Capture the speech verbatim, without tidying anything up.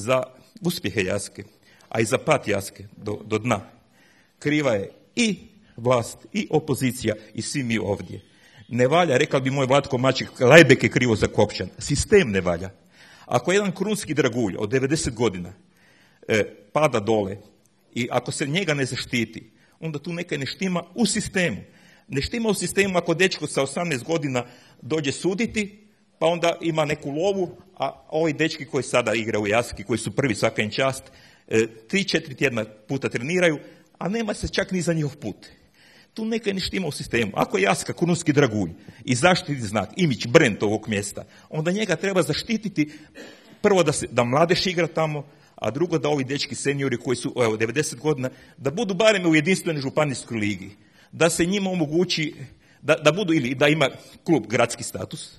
za uspjehe Jaske, a i za pad Jaske do, do dna, kriva je i vlast, i opozicija, i svi mi ovdje. Ne valja, rekao bi moj Vlatko Maček, Lajbek je krivo zakopčan. Sistem ne valja. Ako jedan krunski dragulj od devedeset godina e, pada dole i ako se njega ne zaštiti, onda tu nekaj ne štima u sistemu. Ne štima u sistemu ako dečko sa osamnaest godina dođe suditi, pa onda ima neku lovu, a ovi dečki koji sada igraju u Jaski, koji su prvi, svaka im čast, e, tri, četiri tjedna puta treniraju, a nema se čak ni za njihov put. Tu nekaj ne štima u sistemu. Ako je Jaska krunski dragulj i zaštiti znak, imidž, brand ovog mjesta, onda njega treba zaštititi prvo da, se, da mladež igra tamo, a drugo da ovi dečki seniori koji su evo, devedeset godina, da budu barem u jedinstvenoj županijskoj ligi. Da se njima omogući, da, da budu ili da ima klub gradski status,